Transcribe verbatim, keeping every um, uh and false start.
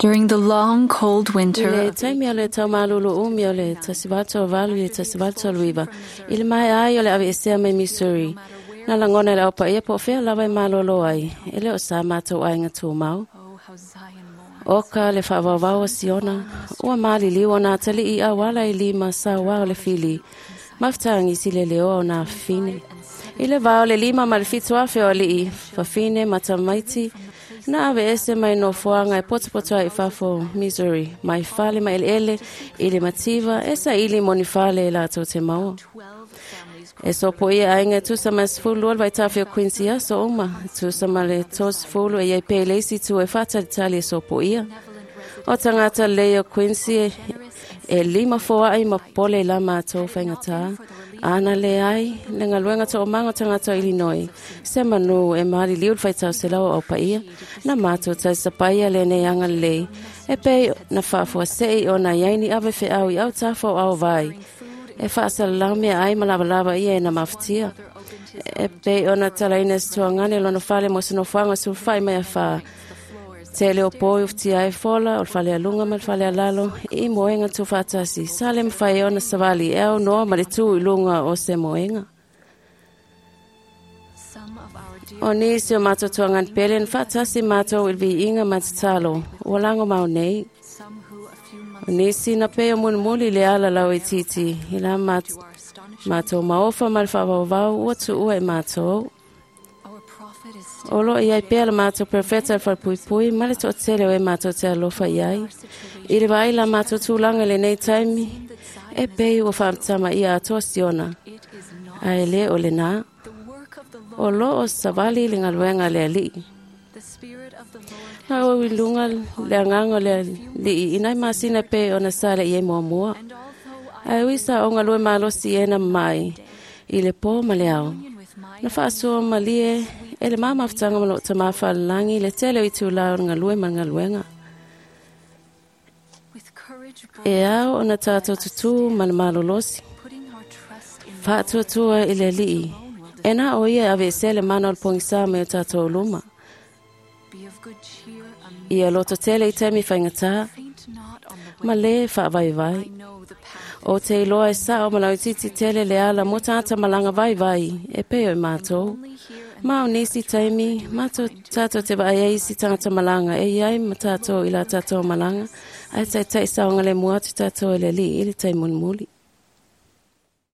During the long cold I winter le of taimi o le taumalolo umi o le tasi valu valu i le tasi valu iva, i le maea ai o le aveesea mai Missouri. Na lagona e le aupaia po o fea lava e malolo ai, e le o sa matou aiga tumau. Oh, how Zion mourns. O ka le faavaovao o Siona, ua maliliu ona atalii i auala e lima sauā o le fili, mafutagisi le leoa o nā fafine. I le vā o le lima ma le fitu afe o alii, fafine ma tamaiti, na aveese mai nofoaga e potopoto ai i fafo o Missouri, mai fale ma eleele i le mativa e saili mo ni fale e latou te maua. Twelve families E sopoia aiga e tusa ma le sefulu lua le vaitafe o Quincy aso uma, e tusa ma le tolu sefulu e iai pea i le isi itu e faatalitali e sopoia. O tagata lelei o Quincy e, e lima foai ma pole i la matou faigatā. Ana leai le galuega toomaga o tagata o Illinois. Se manu e maliliu le faitau selau o aupaia. Na matou talisapaia lenei agalelei. E pei na faafuasei ona iai ni ave feau i autafa o aovai. E faasalalau meaai ma lavalava ia e na mafatia. E pei ona talaina se tuagane lona fale mo se nofoaga sulufai mai afā. Tele o po i ufutia ai fola o le fale aluga ma le fale alalo i moega tuufaatasi. Sa le mafai ona savali e aunoa ma le tu i luga o se moega. Some of our dear O nisi o matou tuagane pele na faatasi matou i le viiga ma tatalo. Ua lagomau nei. some who a few months O nisi na pei o mulimuli le ala lauitiiti i la mat, to our astonishment, matou maofa ma le faavaovao ua tuua i matou. our prophet is still O loo i ai pea le matou profeta le falepuipui ma le toatele o e matou te alofa i ai. I le vaai la matou tulaga i lenei taimi, e pei ua faamatamaia atoa Siona, it is not ae le o lenā. the work of the O Lord. loo savali le galuega a le Alii. The Spirit of the Lord Na ou i luga le agaga o le Alii i nai masina pei ona sa le i ai muamua. and although I Ae ui sa o galue malosi e na mai i le pō ma le ao. union with my Na faasoa malie e le mamafutaga ma loo tamā faalelagi le tele o itulā o le galue ma le galuega. with courage E ao ona tatou tutū ma le malolosi. putting our trust in Faatuatua i le Alii. E na o ia e aveesea le mana o le pogisā mai o tatou luma. be of good cheer amid Ia loto tele i taimi faigata faint not on the ma way le faavaivai. I know the path O te iloa e sao ma lauitiiti tele le ala mo tagata malaga vaivai e pei o i matou. only here and Ma o nisi taimi, matou tatou te vaai ai isi tagata malaga e iai ma tatou i la tatou malaga, ae taitai saogalemu atu tatou e le Alii i le taimi mulimuli.